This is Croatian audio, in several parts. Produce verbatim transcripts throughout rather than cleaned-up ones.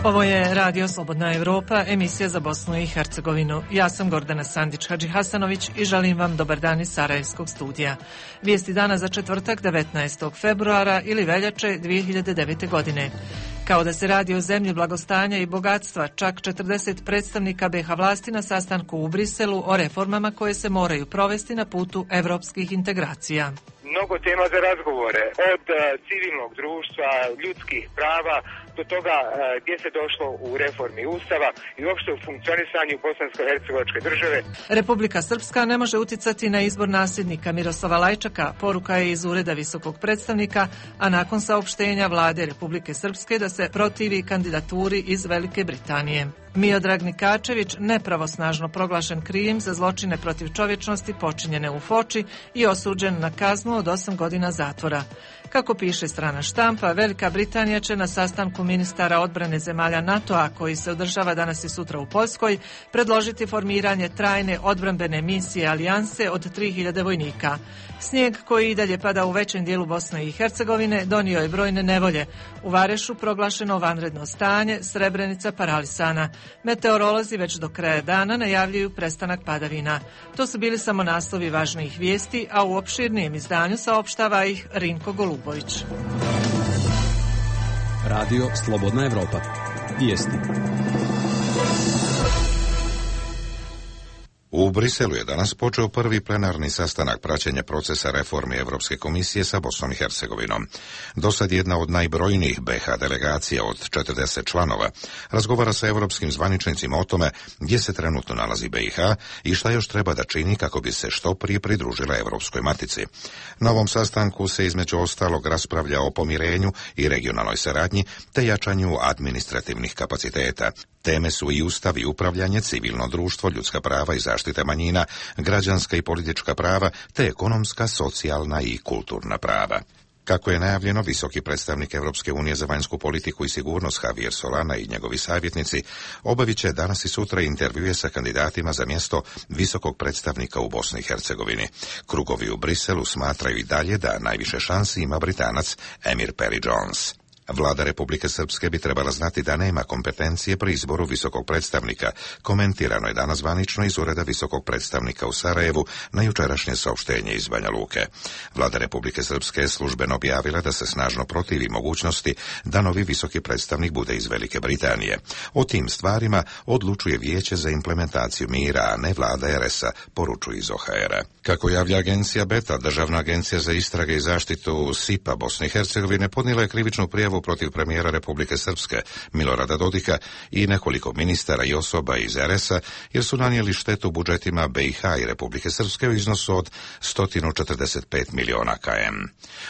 Ovo je Radio Slobodna Evropa, emisija za Bosnu i Hercegovinu. Ja sam Gordana Sandić-Hadžihasanović i želim vam dobar dan iz Sarajevskog studija. Vijesti dana za četvrtak devetnaestog februara ili veljače dvije hiljade devete. godine. Kao da se radi o zemlji blagostanja i bogatstva, čak četrdeset predstavnika be ha vlasti na sastanku u Briselu o reformama koje se moraju provesti na putu evropskih integracija. Mnogo tema za razgovore, od civilnog društva, ljudskih prava, do toga gdje se došlo u reformi Ustava i uopšte u funkcionisanju bosansko-hercegovačke države. Republika Srpska ne može uticati na izbor nasljednika Miroslava Lajčaka, poruka je iz Ureda visokog predstavnika, a nakon saopštenja vlade Republike Srpske da se protivi kandidaturi iz Velike Britanije. Miodrag Nikačević nepravosnažno proglašen krivim za zločine protiv čovječnosti počinjene u Foči i osuđen na kaznu od osam godina zatvora. Kako piše strana štampa, Velika Britanija će na sastanku ministara odbrane zemalja NATO-a, koji se održava danas i sutra u Poljskoj, predložiti formiranje trajne odbrambene misije alijanse od tri hiljade vojnika. Snijeg koji i dalje pada u većem dijelu Bosne i Hercegovine donio je brojne nevolje. U Varešu proglašeno vanredno stanje, Srebrenica paralisana. Meteorolozi već do kraja dana najavljuju prestanak padavina. To su bili samo naslovi važnijih vijesti, a u opširnijem izdanju saopštava ih Rinko Golubović. Radio Slobodna Evropa. Vijesti. U Briselu je danas počeo prvi plenarni sastanak praćenja procesa reformi Evropske komisije sa Bosnom i Hercegovinom. Dosad jedna od najbrojnijih be ha delegacija od četrdeset članova razgovara sa evropskim zvaničnicima o tome gdje se trenutno nalazi be ha i šta još treba da čini kako bi se što prije pridružila Evropskoj matici. Na ovom sastanku se između ostalog raspravlja o pomirenju i regionalnoj saradnji te jačanju administrativnih kapaciteta. Teme su i ustav i upravljanje, civilno društvo, ljudska prava i zaštita manjina, građanska i politička prava, te ekonomska, socijalna i kulturna prava. Kako je najavljeno, visoki predstavnik Evropske unije za vanjsku politiku i sigurnost Javier Solana i njegovi savjetnici obavit će danas i sutra intervjue sa kandidatima za mjesto visokog predstavnika u Bosni i Hercegovini. Krugovi u Briselu smatraju i dalje da najviše šansi ima Britanac Emir Perry Jones. Vlada Republike Srpske bi trebala znati da nema kompetencije pri izboru visokog predstavnika. Komentirano je danas zvanično iz Ureda visokog predstavnika u Sarajevu na jučerašnje saopštenje iz Banja Luke. Vlada Republike Srpske je službeno objavila da se snažno protivi mogućnosti da novi visoki predstavnik bude iz Velike Britanije. O tim stvarima odlučuje Vijeće za implementaciju mira, a ne vlada er es a, poručuje iz o ha era. Kako javlja agencija Beta, Državna agencija za istrage i zaštitu es i pe a Bosne i Hercegovine podnijela je krivičnu prijavu protiv premijera Republike Srpske Milorada Dodika i nekoliko ministara i osoba iz er es a jer su nanijeli štetu budžetima be ha i Republike Srpske u iznosu od sto četrdeset pet miliona km.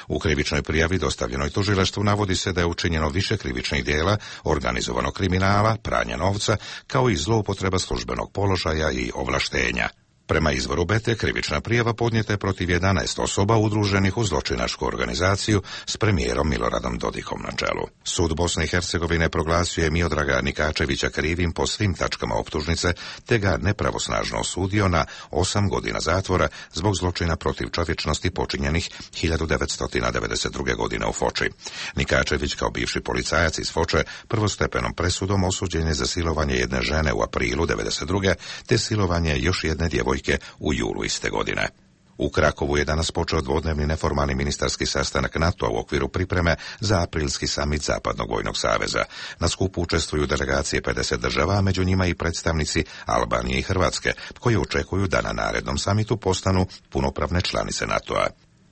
U krivičnoj prijavi dostavljenoj tužilaštvu navodi se da je učinjeno više krivičnih djela, organizovanog kriminala, pranja novca, kao i zloupotreba službenog položaja i ovlaštenja. Prema izvoru Bete, krivična prijava podnijeta je protiv jedanaest osoba udruženih u zločinačku organizaciju s premijerom Miloradom Dodikom na čelu. Sud Bosne i Hercegovine proglasio je Miodraga Nikačevića krivim po svim tačkama optužnice, te ga nepravosnažno osudio na osam godina zatvora zbog zločina protiv čovječnosti počinjenih hiljadu devetsto devedeset druge. godine u Foči. Nikačević kao bivši policajac iz Foče prvostepenom presudom osuđen je za silovanje jedne žene u aprilu devedeset druge. te silovanje još jedne djevojke u julu iste godine. U Krakovu je danas počeo dvodnevni neformalni ministarski sastanak NATO-a u okviru pripreme za aprilski samit Zapadnog vojnog saveza. Na skupu učestvuju delegacije pedeset država, a među njima i predstavnici Albanije i Hrvatske, koji očekuju da na narednom samitu postanu punopravne članice NATO-a.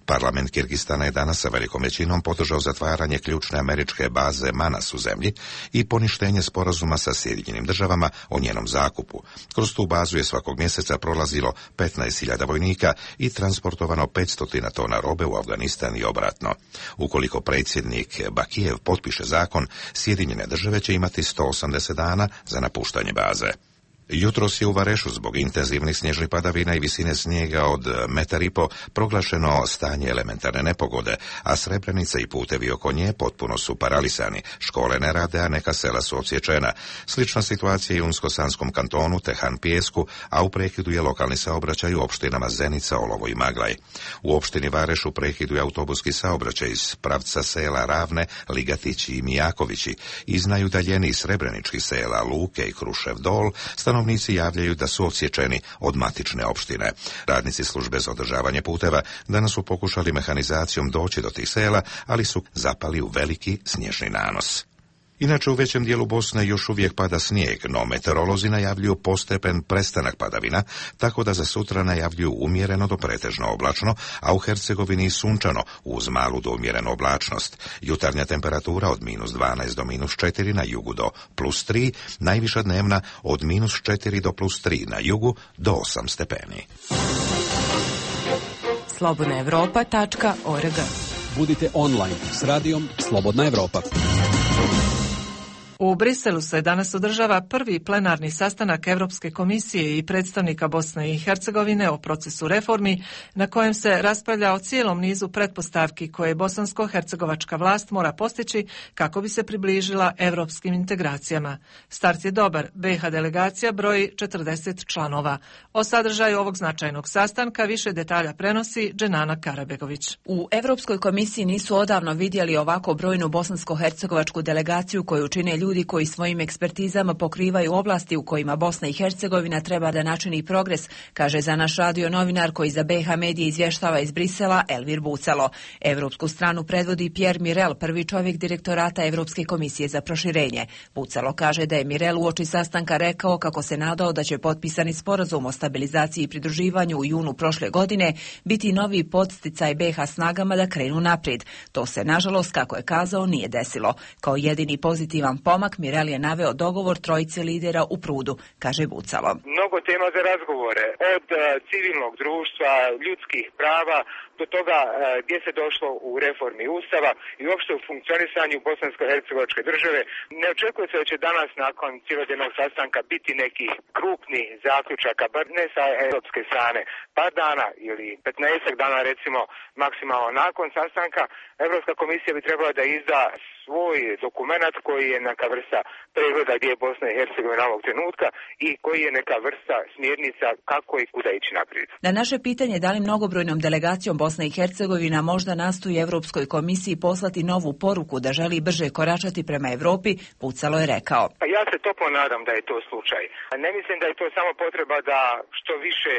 Parlament Kirgistana je danas sa velikom većinom podržao zatvaranje ključne američke baze Manas u zemlji i poništenje sporazuma sa Sjedinjenim državama o njenom zakupu. Kroz tu bazu je svakog mjeseca prolazilo petnaest hiljada vojnika i transportovano petsto tona robe u Afganistan i obratno. Ukoliko predsjednik Bakijev potpiše zakon, Sjedinjene države će imati sto osamdeset dana za napuštanje baze. Jutros je u Varešu zbog intenzivnih snježnih padavina i visine snijega od metar i po proglašeno stanje elementarne nepogode, a Srebrenica i putevi oko nje potpuno su paralisani. Škole ne rade, a neka sela su odsječena. Slična situacija je u Unsko-Sanskom kantonu, Tehan Pijesku, a u prekidu je lokalni saobraćaj u opštinama Zenica, Olovo i Maglaj. U opštini Vareš u prekidu je autobuski saobraćaj iz pravca sela Ravne, Ligatići i Mijakovići. Iz najudaljenijih srebreničkih sela Luke i Krušev Dol stanovnici javljaju da su odsječeni od matične opštine. Radnici službe za održavanje puteva danas su pokušali mehanizacijom doći do tih sela, ali su zapali u veliki snježni nanos. Inače, u većem dijelu Bosne još uvijek pada snijeg, no meteorolozi najavljuju postepen prestanak padavina, tako da za sutra najavljuju umjereno do pretežno oblačno, a u Hercegovini sunčano, uz malu do umjerenu oblačnost. Jutarnja temperatura od minus dvanaest do minus četiri, na jugu do plus tri, najviša dnevna od minus četiri do plus tri, na jugu do osam stepeni. slobodna evropa tačka org. Budite online s radijom Slobodna Evropa. U Briselu se danas održava prvi plenarni sastanak Evropske komisije i predstavnika Bosne i Hercegovine o procesu reformi, na kojem se raspravlja o cijelom nizu pretpostavki koje bosansko-hercegovačka vlast mora postići kako bi se približila evropskim integracijama. Start je dobar, B iH delegacija broji četrdeset članova. O sadržaju ovog značajnog sastanka više detalja prenosi Dženana Karabegović. U Evropskoj komisiji nisu odavno vidjeli ovako brojnu bosansko-hercegovačku delegaciju koju čine ljudi ljudi koji svojim ekspertizama pokrivaju oblasti u kojima Bosna i Hercegovina treba da načini progres, kaže za naš radio novinar koji za B iH medije izvještava iz Brisela Elvir Bucalo. Evropsku stranu predvodi Pierre Mirel, prvi čovjek direktorata Evropske komisije za proširenje. Bucalo kaže da je Mirel uoči sastanka rekao kako se nadao da će potpisani sporazum o stabilizaciji i pridruživanju u junu prošle godine biti novi podsticaj B iH snagama da krenu naprijed. To se, nažalost, kako je kazao, nije desilo. Kao jedini pozitivan pomak Mirel je naveo dogovor trojice lidera u Prudu, kaže Bucalo. Mnogo tema za razgovore, od uh, civilnog društva, ljudskih prava, do toga uh, gdje se došlo u reformi Ustava i uopšte u funkcionisanju bosansko-hercegovačke države. Ne očekuje se da će danas nakon cijelodnevnog sastanka biti neki krupni zaključaka, bar ne sa europske strane. Par dana ili petnaestak dana recimo maksimalno nakon sastanka, Evropska komisija bi trebala da izda svoj dokument koji je neka vrsta pregleda gdje je Bosna i Hercegovina ovog trenutka i koji je neka vrsta smjernica kako i kuda ići naprijed. Na naše pitanje da li mnogobrojnom delegacijom Bosna i Hercegovina možda nastoji Evropskoj komisiji poslati novu poruku da želi brže koračati prema Europi, Bucalo je rekao. Pa ja se toplo nadam da je to slučaj. Ne mislim da je to samo potreba da što više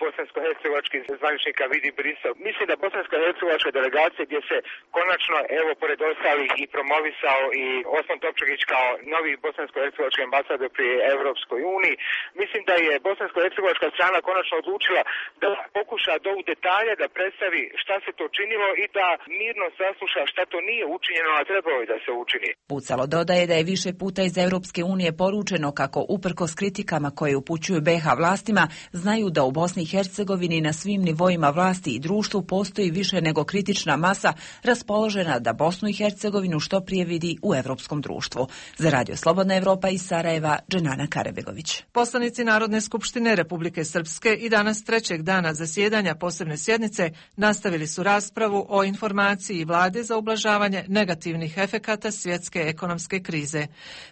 bosansko-hercegovačkih zvaničnika vidi Brisel. Mislim da bosansko-hercegovačka delegacija gdje se konačno, evo, pored ostalih i promovisao i Osman Topčagić kao novi bosansko-hercegovački ambasador pri Evropskoj uniji. Mislim da je bosansko-hercegovačka strana konačno odlučila da pokuša do u detalje da predstavi šta se to činilo i da mirno sasluša šta to nije učinjeno, a trebalo je da se učini. Bucalo dodaje da je više puta iz Evropske unije poručeno kako uprkos kritikama koje upućuju B iH vlastima, znaju da u Bosni i Hercegovini na svim nivoima vlasti i društvu postoji više nego kritična masa raspoložena da Bosnu i Hercegovinu što prije vidi u evropskom društvu. Za Radio Slobodna Evropa iz Sarajeva, Dženana Karabegović. Poslanici Narodne skupštine Republike Srpske i danas trećeg dana zasjedanja posebne sjednice nastavili su raspravu o informaciji vlade za ublažavanje negativnih efekata svjetske ekonomske krize.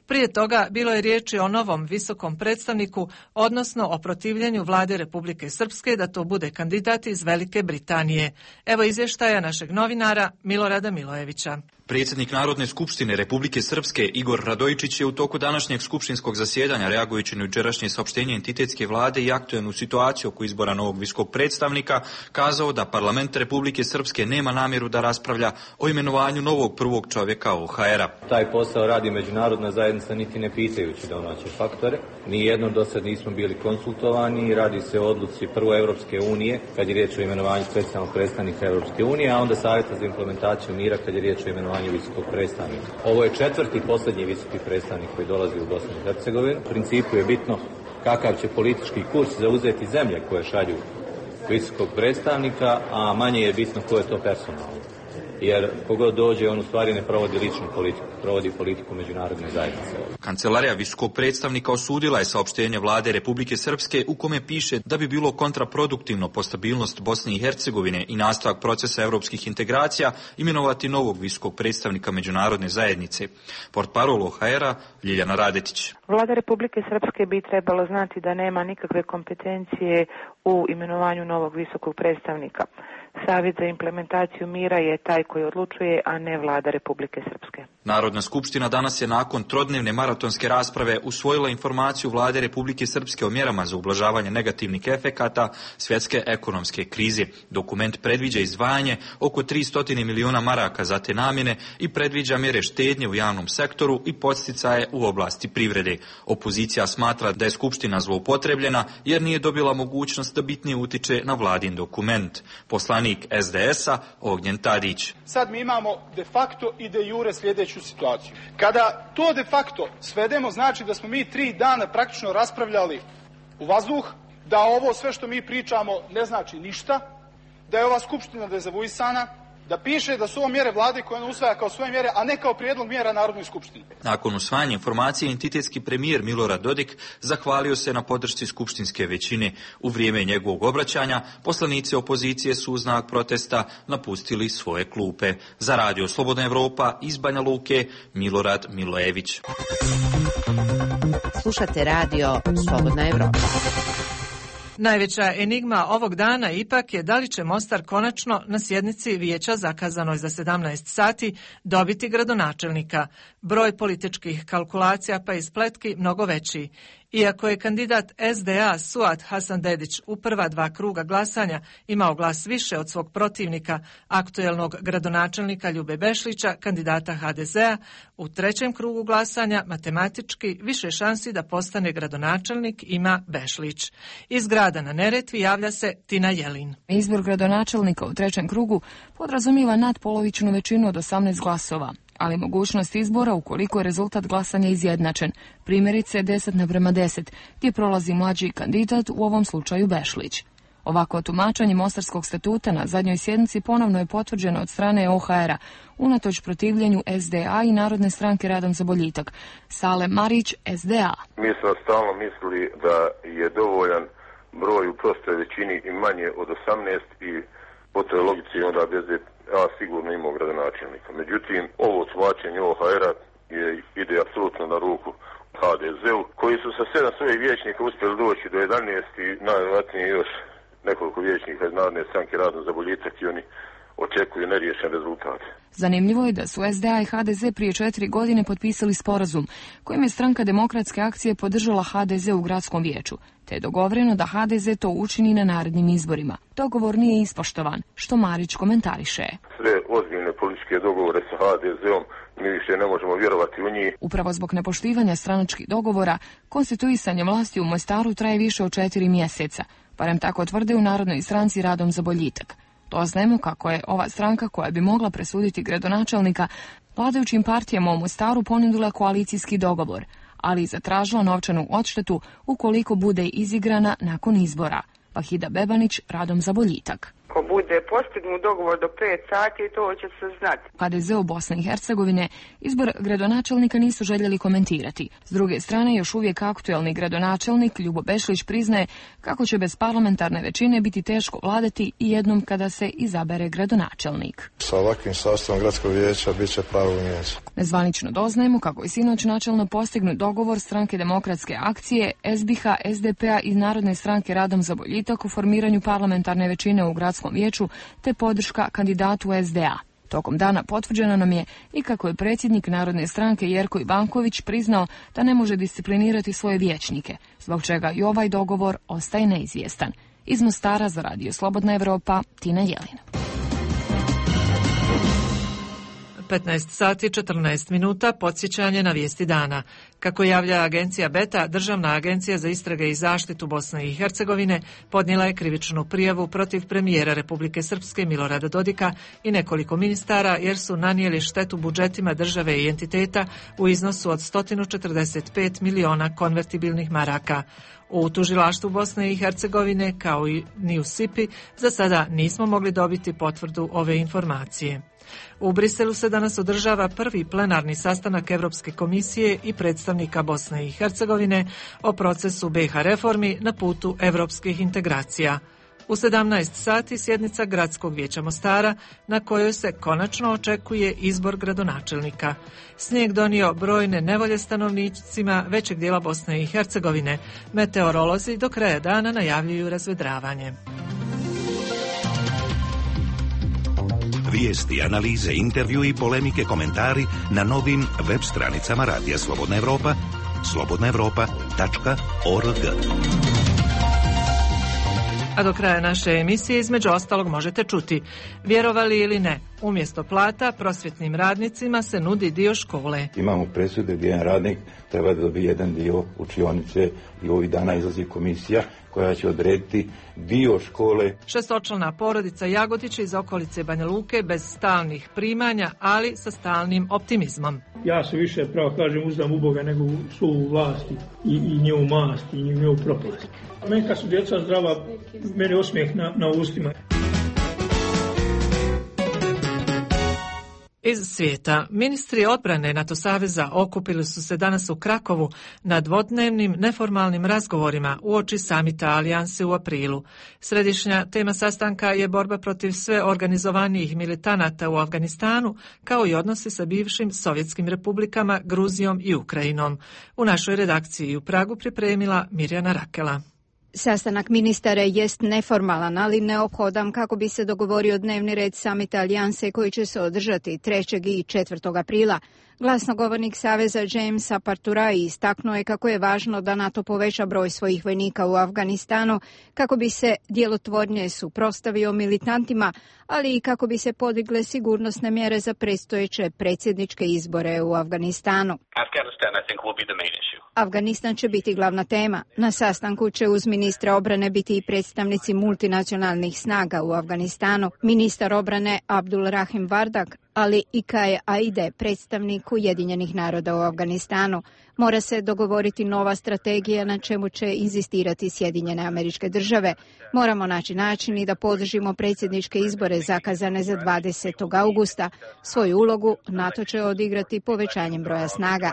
Prije toga bilo je riječi o novom visokom predstavniku, odnosno o protivljenju vlade Republike Srpske da to bude kandidat iz Velike Britanije. Evo izvještaja našeg novinara Milorada Milojevića. Predsjednik Narodne skupštine Republike Srpske Igor Radojičić je u toku današnjeg skupštinskog zasjedanja, reagujući na jučerašnje saopštenje entitetske vlade i aktuelnu situaciju oko izbora novog visokog predstavnika, kazao da parlament Republike Srpske nema namjeru da raspravlja o imenovanju novog prvog čovjeka O H R-a. Taj posao radi međunarodna zajednica niti ne pitajući domaće faktore. Nijednom do sad nismo bili konsultovani, radi se o odluci prvo Evropske unije kad je riječ o imenovanju specijalnog predstavnika Evropske unije, a onda Savjeta za implementaciju mira kad je riječ o imenovanju visokog predstavnika. Ovo je četvrti i posljednji visoki predstavnik koji dolazi u Bosnu i Hercegovinu. U principu je bitno kakav će politički kurs zauzeti zemlje koje šalju visokog predstavnika, a manje je bitno ko je to personalno. jer kogod dođe on u stvari ne provodi ličnu politiku, provodi politiku međunarodne zajednice. Kancelarija visokog predstavnika osudila je saopštenje vlade Republike Srpske u kome piše da bi bilo kontraproduktivno po stabilnost Bosne i Hercegovine i nastavak procesa europskih integracija imenovati novog visokog predstavnika međunarodne zajednice. Portparol O H R-a Ljiljana Radetić. Vlada Republike Srpske bi trebalo znati da nema nikakve kompetencije u imenovanju novog visokog predstavnika. Savjet za implementaciju mira je taj koji odlučuje, a ne Vlada Republike Srpske. Narodna skupština danas je nakon trodnevne maratonske rasprave usvojila informaciju Vlade Republike Srpske o mjerama za ublažavanje negativnih efekata svjetske ekonomske krize. Dokument predviđa izdvajanje oko tristo miliona maraka za te namjene i predviđa mjere štednje u javnom sektoru i podsticaje u oblasti privrede. Opozicija smatra da je skupština zloupotrebljena jer nije dobila mogućnost da bitnije utiče na vladin dokument. Poslanik S D S-a Ognjen Tadić. Sad mi imamo de facto i de jure sljedeću situaciju. Kada to de facto svedemo, znači da smo mi tri dana praktično raspravljali u vazduh, da ovo sve što mi pričamo ne znači ništa, da je ova skupština dezavuisana, da piše da su ovo mjere vlade koje on usvaja kao svoje mjere, a ne kao prijedlog mjera Narodnoj skupštini. Nakon usvajanja informacije, entitetski premijer Milorad Dodik zahvalio se na podršci skupštinske većine. U vrijeme njegovog obraćanja, poslanici opozicije su u znak protesta napustili svoje klupe. Za Radio Slobodna Evropa iz Banja Luke, Milorad Milojević. Slušate Radio Slobodna Evropa. Najveća enigma ovog dana ipak je da li će Mostar konačno na sjednici vijeća zakazanoj za sedamnaest sati dobiti gradonačelnika. Broj političkih kalkulacija pa i spletki mnogo veći. Iako je kandidat S D A Suad Hasanbedić u prva dva kruga glasanja imao glas više od svog protivnika, aktuelnog gradonačelnika Ljube Bešlića, kandidata H D Z-a, u trećem krugu glasanja matematički više šansi da postane gradonačelnik ima Bešlić. Iz grada na Neretvi javlja se Tina Jelin. Izbor gradonačelnika u trećem krugu podrazumijeva nadpolovičnu većinu od osamnaest glasova, ali mogućnost izbora ukoliko je rezultat glasanja izjednačen, primjerice deset naprema deset, gdje prolazi mlađi kandidat, u ovom slučaju Bešlić. Ovako tumačenje Mostarskog statuta na zadnjoj sjednici ponovno je potvrđeno od strane O H R-a, unatoč protivljenju S D A i Narodne stranke Radom za boljitak. Sale Marić, S D A. Mi smo stalno mislili da je dovoljan broj u prostoj većini i manje od osamnaest i po toj logici onda bez A sigurno imao gradonačelnika. Međutim, ovo tumačenje O H R-a je, ide apsolutno na ruku H D Z-u, koji su sa sedam svojih vijećnika uspjeli doći do jedanaest i najvjerojatnije još nekoliko vijećnika iz Narodne stranke Radom za boljitak i oni očekuju neriješen rezultat. Zanimljivo je da su S D A i H D Z prije četiri godine potpisali sporazum kojim je stranka Demokratske akcije podržala H D Z u gradskom vijeću, te je dogovoreno da H D Z to učini na narednim izborima. Dogovor nije ispoštovan, što Marić komentariše. Sve ozbiljne političke dogovore sa H D Z-om mi više ne možemo vjerovati u njih. Upravo zbog nepoštivanja stranačkih dogovora, konstituisanje vlasti u Mostaru traje više od četiri mjeseca, barem tako tvrde u Narodnoj stranci Radom za boljitak. Doznajemo kako je ova stranka koja bi mogla presuditi gradonačelnika vladajućim partijama u Mostaru ponudila koalicijski dogovor, ali i zatražila novčanu odštetu ukoliko bude izigrana nakon izbora. Vahida Bebanić, Radom za boljitak. Ako bude postignut dogovor do pet sati, to će se znati. H D Z u Bosne i Hercegovine izbor gradonačelnika nisu željeli komentirati. S druge strane, još uvijek aktuelni gradonačelnik Ljubo Bešlić priznaje kako će bez parlamentarne većine biti teško vladati i jednom kada se izabere gradonačelnik. Sa ovakvim sastavom gradskog vijeća bit će pravo vijeće. Nezvanično doznajemo kako je sinoć načelno postignut dogovor stranke Demokratske akcije, S B H, S D P-a i Narodne stranke Radom za boljitak u formiranju parlamentarne većine u gradskom vijeću te podrška kandidatu S D A. Tokom dana potvrđeno nam je i kako je predsjednik Narodne stranke Jerko Ivanković priznao da ne može disciplinirati svoje vijećnike, zbog čega i ovaj dogovor ostaje neizvjestan. Iz Mostara za Radio Slobodna Evropa, Tina Jelin. petnaest sati četrnaest minuta, podsjećanje na vijesti dana. Kako javlja agencija Beta, Državna agencija za istrage i zaštitu Bosne i Hercegovine podnijela je krivičnu prijavu protiv premijera Republike Srpske Milorada Dodika i nekoliko ministara jer su nanijeli štetu budžetima države i entiteta u iznosu od sto četrdeset pet miliona konvertibilnih maraka. U tužilaštvu Bosne i Hercegovine, kao i ni u S I P-i, za sada nismo mogli dobiti potvrdu ove informacije. U Briselu se danas održava prvi plenarni sastanak Evropske komisije i predstavnika Bosne i Hercegovine o procesu B iH reformi na putu evropskih integracija. U sedamnaest sati sjednica Gradskog vijeća Mostara na kojoj se konačno očekuje izbor gradonačelnika. Snijeg donio brojne nevolje stanovnicima većeg dijela Bosne i Hercegovine. Meteorolozi do kraja dana najavljuju razvedravanje. Vijesti, analize, intervju i polemike, komentari na novim web stranicama Radija Slobodna Evropa, slobodna evropa tačka org. A do kraja naše emisije između ostalog možete čuti: vjerovali ili ne, umjesto plata prosvjetnim radnicima se nudi dio škole. Imamo presude gdje jedan radnik treba da dobije jedan dio učionice i ovih dana izlazi komisija koja će odrediti dio škole. Šestočlana porodica Jagodić iz okolice Banja Luke bez stalnih primanja, ali sa stalnim optimizmom. Ja se više, pravo kažem, uzdam u Boga nego u svoju vlasti i, i njevu mast i njevu propast. Meni kad su djeca zdrava, meni osmijeh na, na ustima. Iz svijeta. Ministri odbrane NATO saveza okupili su se danas u Krakovu na dvodnevnim neformalnim razgovorima uoči samita alijanse u aprilu. Središnja tema sastanka je borba protiv sve organizovanijih militanata u Afganistanu, kao i odnosi sa bivšim sovjetskim republikama Gruzijom i Ukrajinom. U našoj redakciji u Pragu pripremila Mirjana Rakela. Sastanak ministara jest neformalan, ali neophodan kako bi se dogovorio dnevni red samita alijanse koji će se održati trećeg i četvrtog aprila. Glasnogovornik Saveza James Aparturai istaknuo je kako je važno da NATO poveća broj svojih vojnika u Afganistanu kako bi se djelotvornije suprotstavio militantima, ali i kako bi se podigle sigurnosne mjere za predstojeće predsjedničke izbore u Afganistanu. Afganistan će biti glavna tema. Na sastanku će uz ministra obrane biti i predstavnici multinacionalnih snaga u Afganistanu, ministar obrane Abdul Rahim Vardak, ali i Kaje Aide, predstavnik Ujedinjenih naroda u Afganistanu. Mora se dogovoriti nova strategija na čemu će inzistirati Sjedinjene Američke Države. Moramo naći način i da podržimo predsjedničke izbore zakazane za dvadesetog augusta. Svoju ulogu NATO će odigrati povećanjem broja snaga.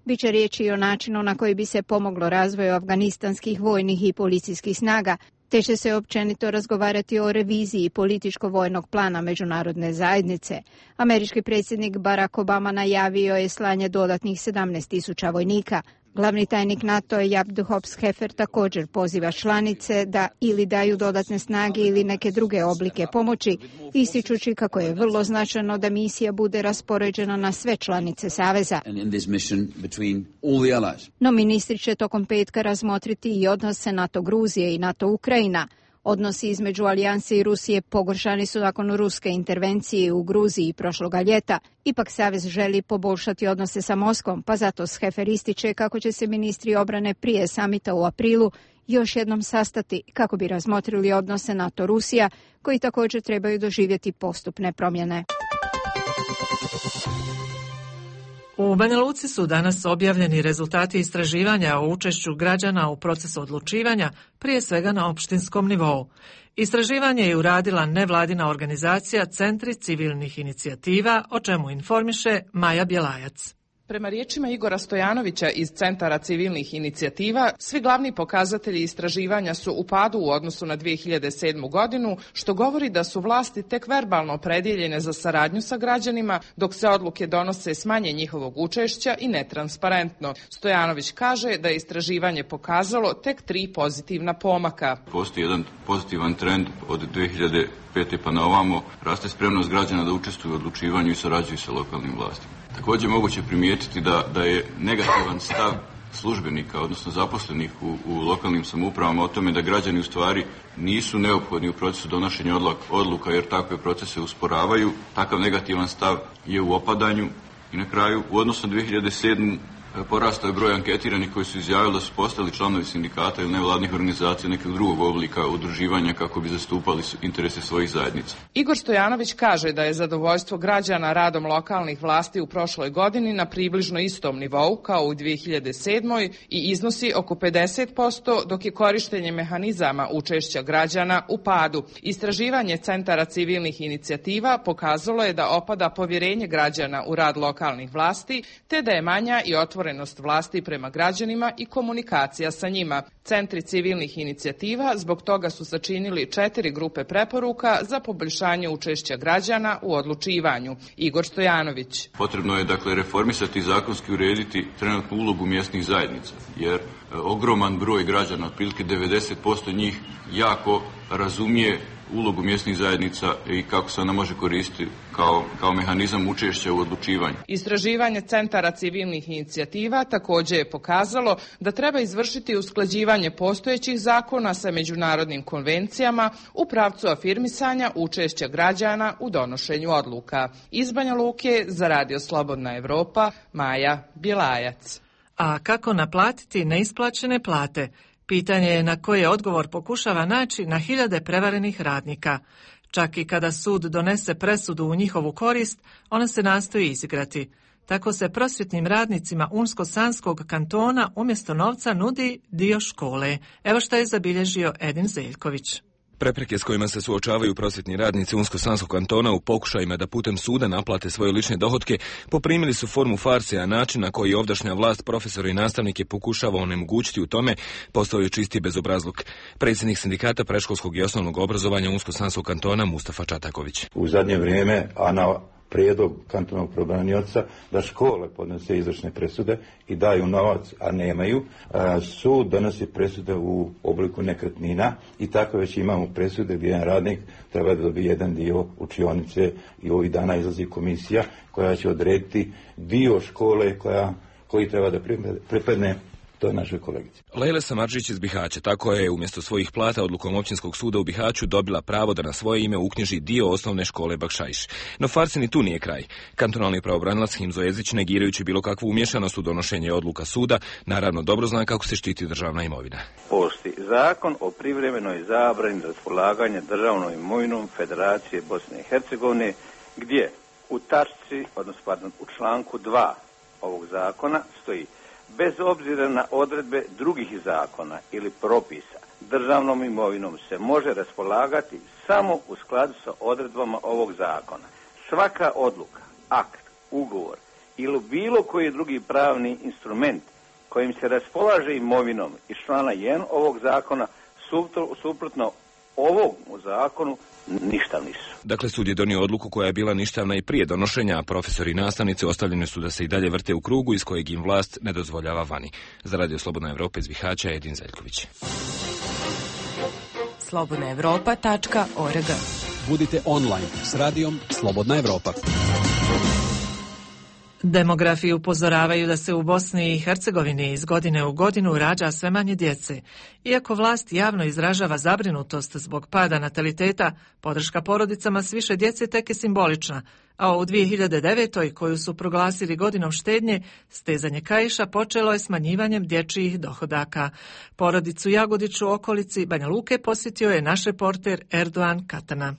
Biće riječi i o načinu na koji bi se pomoglo razvoju afganistanskih vojnih i policijskih snaga, te će se općenito razgovarati o reviziji političko-vojnog plana međunarodne zajednice. Američki predsjednik Barack Obama najavio je slanje dodatnih sedamnaest tisuća vojnika. Glavni tajnik NATO Jaap de Hoop-Scheffer također poziva članice da ili daju dodatne snage ili neke druge oblike pomoći, ističući kako je vrlo značajno da misija bude raspoređena na sve članice Saveza. No ministri će tokom petka razmotriti i odnose NATO Gruzije i NATO Ukrajina. Odnosi između alijanse i Rusije pogoršani su nakon ruske intervencije u Gruziji prošloga ljeta. Ipak Savez želi poboljšati odnose sa Moskvom, pa zato Scheffer ističe kako će se ministri obrane prije samita u aprilu još jednom sastati kako bi razmotrili odnose NATO-Rusija, koji također trebaju doživjeti postupne promjene. U Banja Luci su danas objavljeni rezultati istraživanja o učešću građana u procesu odlučivanja, prije svega na opštinskom nivou. Istraživanje je uradila nevladina organizacija Centri civilnih inicijativa, o čemu informiše Maja Bjelajac. Prema riječima Igora Stojanovića iz Centara civilnih inicijativa, svi glavni pokazatelji istraživanja su u padu u odnosu na dvije hiljade sedmu. godinu, što govori da su vlasti tek verbalno opredjeljene za saradnju sa građanima, dok se odluke donose s manje njihovog učešća i netransparentno. Stojanović kaže da je istraživanje pokazalo tek tri pozitivna pomaka. Postoji jedan pozitivan trend od dvije hiljade pete. pa na ovamo, raste spremnost građana da učestvuju u odlučivanju i surađuju sa lokalnim vlastima. Također moguće primijetiti da, da je negativan stav službenika, odnosno zaposlenih u, u lokalnim samoupravama o tome da građani u stvari nisu neophodni u procesu donošenja odluka jer takve procese usporavaju. Takav negativan stav je u opadanju i na kraju u odnosu na dvije hiljade sedmu. porastao je broj anketiranih koji su izjavili da su postali članovi sindikata ili nevladnih organizacija nekog drugog oblika udruživanja kako bi zastupali interese svojih zajednica. Igor Stojanović kaže da je zadovoljstvo građana radom lokalnih vlasti u prošloj godini na približno istom nivou kao u dvije hiljade sedmoj i iznosi oko pedeset posto, dok je korištenje mehanizama učešća građana u padu. Istraživanje centara civilnih inicijativa pokazalo je da opada povjerenje građana u rad lokalnih vlasti, te da je manja i otvorenost vlasti prema građanima i komunikacija sa njima. Centri civilnih inicijativa zbog toga su sačinili četiri grupe preporuka za poboljšanje učešća građana u odlučivanju. Igor Stojanović. Potrebno je dakle reformisati i zakonski urediti trenutnu ulogu mjesnih zajednica, jer e, ogroman broj građana, otprilike devedeset posto njih, jako razumije ulogu mjesnih zajednica i kako se ona može koristiti kao, kao mehanizam učešća u odlučivanju. Istraživanje centara civilnih inicijativa također je pokazalo da treba izvršiti usklađivanje postojećih zakona sa međunarodnim konvencijama u pravcu afirmisanja učešća građana u donošenju odluka. Iz Banja Luke za Radio Slobodna Evropa, Maja Bjelajac. A kako naplatiti neisplaćene plate? Pitanje je na koje odgovor pokušava naći na hiljade prevarenih radnika. Čak i kada sud donese presudu u njihovu korist, ona se nastoji izigrati. Tako se prosvjetnim radnicima Unsko-Sanskog kantona umjesto novca nudi dio škole. Evo što je zabilježio Edin Zeljković. Prepreke s kojima se suočavaju prosvjetni radnici Unsko-Sanskog kantona u pokušajima da putem suda naplate svoje lične dohotke poprimili su formu farse, a način na koji ovdašnja vlast profesora i nastavnike pokušava onemogućiti u tome postao je čisti bezobrazluk. Predsjednik sindikata predškolskog i osnovnog obrazovanja Unsko-Sanskog kantona Mustafa Čataković. U zadnje vrijeme, a na prijedlog kantonalnog pravobranioca da škole podnose izvršne presude i daju novac, a nemaju. Sud donosi presude u obliku nekretnina i tako već imamo presude gdje jedan radnik treba da dobije jedan dio učionice i ovih dana izlazi komisija koja će odrediti dio škole koja, koji treba da pripadne toj našoj kolegici. Lejla Samardžić iz Bihaća tako je umjesto svojih plata odlukom općinskog suda u Bihaću dobila pravo da na svoje ime uknjiži dio osnovne škole Bakšajš. No farsi ni tu nije kraj. Kantonalni pravobranilac Himzo Jezić, negirajući bilo kakvu umješanost u donošenje odluka suda, naravno dobro zna kako se štiti državna imovina. Postoji zakon o privremenoj zabrani raspolaganja državnom imovinom Federacije Bosne i Hercegovine, gdje u tačci, odnosno pardon, u članku dva ovog zakona stoji: bez obzira na odredbe drugih zakona ili propisa, državnom imovinom se može raspolagati samo u skladu sa odredbama ovog zakona. Svaka odluka, akt, ugovor ili bilo koji drugi pravni instrument kojim se raspolaže imovinom iz člana jedan ovog zakona suprotno ovom zakonu ništa nisu. Dakle, sud je donio odluku koja je bila ništavna i prije donošenja, a profesori i nastavnici ostavljeni su da se i dalje vrte u krugu iz kojeg im vlast ne dozvoljava vani. Za Radio Slobodna Evropa iz Bihaća, Edin Zeljković. slobodna evropa tačka org. Budite online s radijom Slobodna Evropa. Demografi upozoravaju da se u Bosni i Hercegovini iz godine u godinu rađa sve manje djece. Iako vlast javno izražava zabrinutost zbog pada nataliteta, podrška porodicama s više djece tek je simbolična, a u dvije hiljade devetoj, koju su proglasili godinom štednje, stezanje kaiša počelo je smanjivanjem dječjih dohodaka. Porodicu Jagodić u okolici Banja Luke posjetio je naš reporter Erdoan Katana.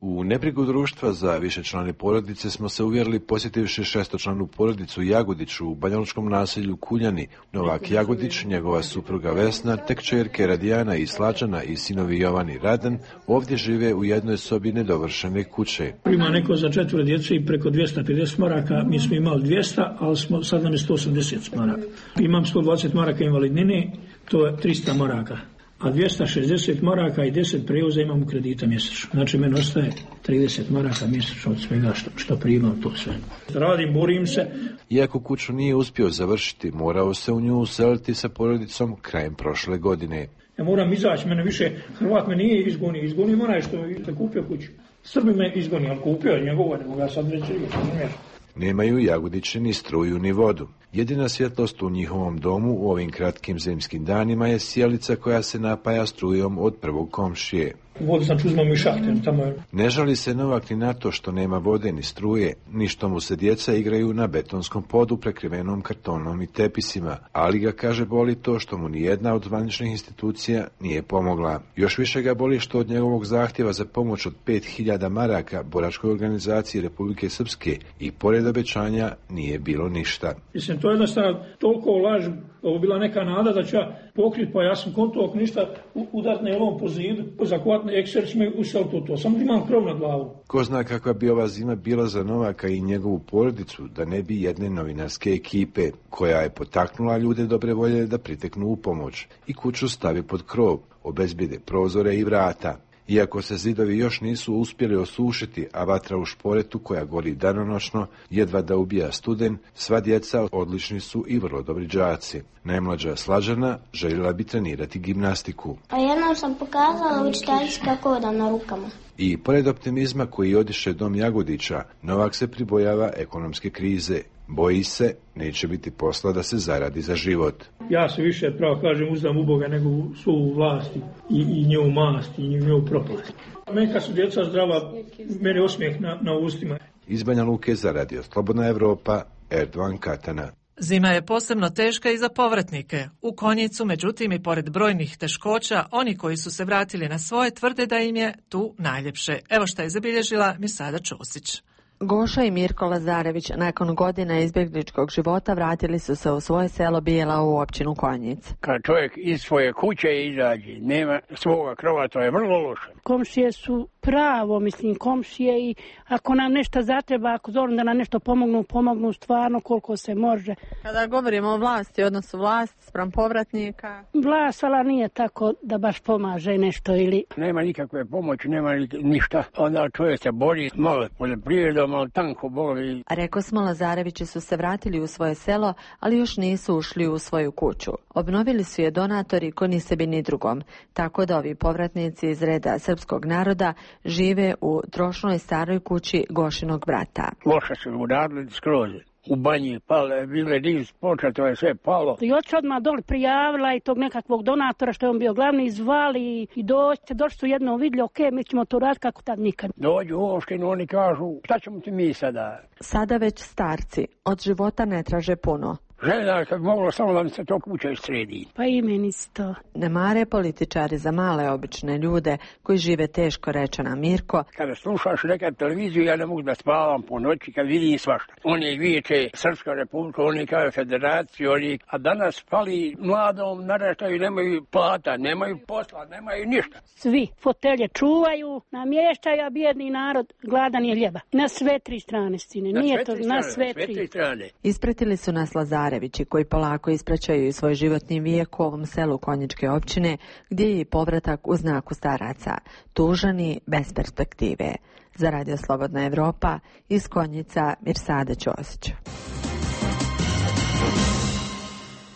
U nebrigu društva za višečlane porodice smo se uvjerili posjetivši šestočlanu porodicu Jagodić u banjalučkom naselju Kuljani. Novak Jagodić, njegova supruga Vesna, tek kćerke Radijana i Slađana i sinovi Jovan i Radan ovdje žive u jednoj sobi nedovršene kuće. Ima neko za četvoro djece i preko dvjesto pedeset maraka, mi smo imali dvjesto, ali smo, sad nam je sto osamdeset maraka. Imam sto dvadeset maraka invalidnine, to je trista maraka. A dvjesto šezdeset maraka i deset prevoza imamo kredita mjesečno. Znači, meni ostaje trideset maraka mjesečno od svega što, što primam to sve. Radim, borim se. Iako kuću nije uspio završiti, morao se u nju useliti sa porodicom krajem prošle godine. Ja moram izaći, mene više, Hrvat me nije izgonio, izgonio onaj što je kupio kuću. Srbi me izgonio, ali kupio je njegovo, ne mogu ja sad reći, ne. Nemaju Jagodići ni struju ni vodu. Jedina svjetlost u njihovom domu u ovim kratkim zimskim danima je sijalica koja se napaja strujom od prvog komšije. Vodu znači uzmamo i šahte. Tamo je... Ne žali se Novak ni na to što nema vode ni struje, ni što mu se djeca igraju na betonskom podu prekrivenom kartonom i tepisima, ali ga, kaže, boli to što mu nijedna od zvaničnih institucija nije pomogla. Još više ga boli što od njegovog zahtjeva za pomoć od pet hiljada maraka boračkoj organizaciji Republike Srpske i pored obećanja nije bilo ništa. Mislim, to je jednostavno toliko laž, ovo bila neka nada da će ja pokriti, pa ja sam konto ako ništa udarne jelom po zidu, zakvatne ekser me usel to to, samo imam krov nad glavu. Ko zna kakva bi ova zima bila za Novaka i njegovu porodicu da ne bi jedne novinarske ekipe, koja je potaknula ljude dobre volje da priteknu u pomoć i kuću stavi pod krov, obezbijede prozore i vrata. Iako se zidovi još nisu uspjeli osušiti, a vatra u šporetu koja gori danonoćno jedva da ubija studen, sva djeca odlični su i vrlo dobri đaci. Najmlađa Slađana željela bi trenirati gimnastiku. A jednom sam pokazala učiteljici kako hodam na rukama. I pored optimizma koji odiše dom Jagodića, Novak se pribojava ekonomske krize. Boji se, neće biti posla da se zaradi za život. Ja se više, pravo kažem, uzdam u Boga nego u svu vlast i, i njevu mast i njevu propast. Meni kad su djeca zdrava, mene osmijeh na, na ustima. Iz Banja Luke za Radio Slobodna Evropa, Erdovan Katana. Zima je posebno teška i za povratnike. U Konjicu, međutim, i pored brojnih teškoća, oni koji su se vratili na svoje tvrde da im je tu najljepše. Evo šta je zabilježila Misada Čosić. Goša i Mirko Lazarević nakon godina izbjegličkog života vratili su se u svoje selo Bijela u općinu Konjic. Kad čovjek iz svoje kuće izađe, nema svoga krova, to je vrlo loše. Komšije su pravo, mislim, komšije i ako nam nešto zatreba, ako zovem da nam nešto pomognu, pomognu stvarno koliko se može. Kada govorimo o vlasti, odnosu vlast spram povratnika? Vlast, ali nije tako da baš pomaže nešto ili... Nema nikakve pomoći, nema ništa. Onda čovjek se bori, malo poljoprivredom, malo tanko boli. Reko smo, Lazarevići su se vratili u svoje selo, ali još nisu ušli u svoju kuću. Obnovili su je donatori ko ni sebi ni drugom, tako da ovi povratnici iz reda srpskog naroda žive u trošnoj staroj kući Gošinog brata. Loše su uradili skroz. U banji pale, bile niz počeo, to je sve palo. I oči odmah doli prijavila i tog nekakvog donatora što je on bio glavni zvali i doći, došli su jedno vidjeli, ok, mi ćemo to raditi kako tad nikad. Dođu u opštinu, oni kažu, šta ćemo ti mi sada? Sada već starci, od života ne traže puno. Željela kad bi moglo samo da mi se to kuća sredi. Pa i meni isto. Ne mare političari za male obične ljude koji žive teško, reče nam Mirko. Kada slušaš nekad televiziju, ja ne mogu da spavam po noći kad vidim svašta. Oni viječe Srpska republika, oni kao federaciju, oni, a danas pali mladom naraštaju, nemaju plata, nemaju posla, nemaju ništa. Svi fotelje čuvaju, namještaju, a bijedni narod gladan je ljeba. Na sve tri strane, sine. Na Nije sve to, tri na strane, sve tri. sve tri strane. Ispratili su nas Lazarevići koji polako ispraćaju svoj životni vijek u ovom selu Konjičke općine, gdje je i povratak u znaku staraca, tužani bez perspektive. Za Radio Slobodna Evropa, iz Konjica, Mirsada Ćosić.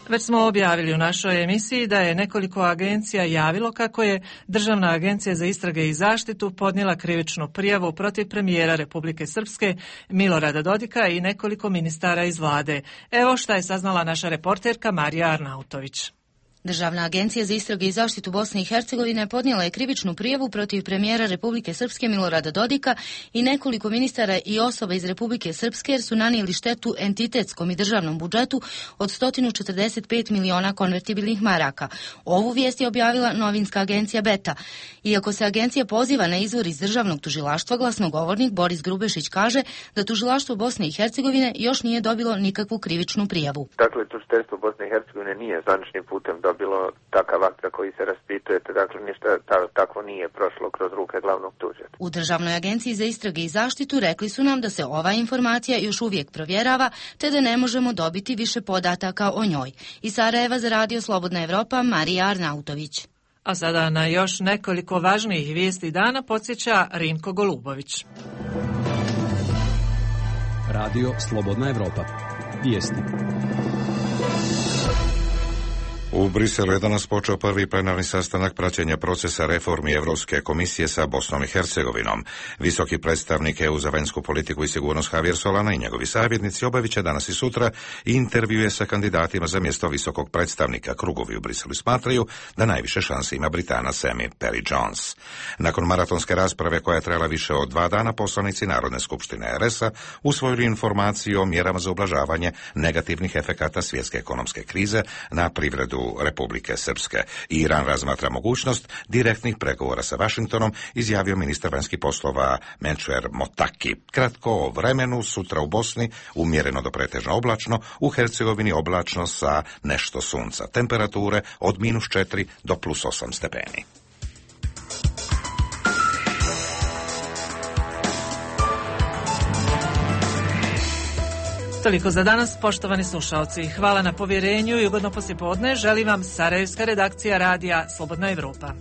Već smo objavili u našoj emisiji da je nekoliko agencija javilo kako je Državna agencija za istrage i zaštitu podnijela krivičnu prijavu protiv premijera Republike Srpske Milorada Dodika i nekoliko ministara iz vlade. Evo šta je saznala naša reporterka Marija Arnautović. Državna agencija za istrage i zaštitu Bosne i Hercegovine podnijela je krivičnu prijavu protiv premijera Republike Srpske Milorada Dodika i nekoliko ministara i osoba iz Republike Srpske jer su nanijeli štetu entitetskom i državnom budžetu od sto četrdeset pet miliona konvertibilnih maraka. Ovu vijest je objavila novinska agencija Beta. Iako se agencija poziva na izvor iz državnog tužilaštva, glasnogovornik Boris Grubešić kaže da tužilaštvo Bosne i Hercegovine još nije dobilo nikakvu krivičnu prijavu. Dakle, tužiteljstvo Bosne i Hercegovine nije zvaničnim putem dobilo takav akt za koji se raspitujete, dakle ništa ta, takvo nije prošlo kroz ruke glavnog tužitelja. U Državnoj agenciji za istrage i zaštitu rekli su nam da se ova informacija još uvijek provjerava, te da ne možemo dobiti više podataka o njoj. Iz Sarajeva za Radio Slobodna Evropa, Marija Arnautović. A sada na još nekoliko važnijih vijesti dana podsjeća Rinko Golubović. Radio Slobodna Evropa. Vijesti. U Briselu je danas počeo prvi plenarni sastanak praćenja procesa reformi Evropske komisije sa Bosnom i Hercegovinom. Visoki predstavnik E U za vanjsku politiku i sigurnost Javier Solana i njegovi savjetnici obavit će danas i sutra intervjue sa kandidatima za mjesto visokog predstavnika. Krugovi u Briselu smatraju da najviše šanse ima Britanac Amy Perry Jones. Nakon maratonske rasprave koja je trajala više od dva dana, poslanici Narodne skupštine R S-a usvojili informaciju o mjerama za ublažavanje negativnih efekata svjetske ekonomske krize na privredu Republike Srpske. Iran razmatra mogućnost direktnih pregovora sa Vašingtonom, izjavio ministar vanjskih poslova Menčer Motaki. Kratko o vremenu, sutra u Bosni umjereno do pretežno oblačno, u Hercegovini oblačno sa nešto sunca. Temperature od minus četiri do plus osam stepeni. Toliko za danas, poštovani slušaoci. Hvala na povjerenju i ugodno poslijepodne želim vam Sarajevska redakcija radija Slobodna Evropa.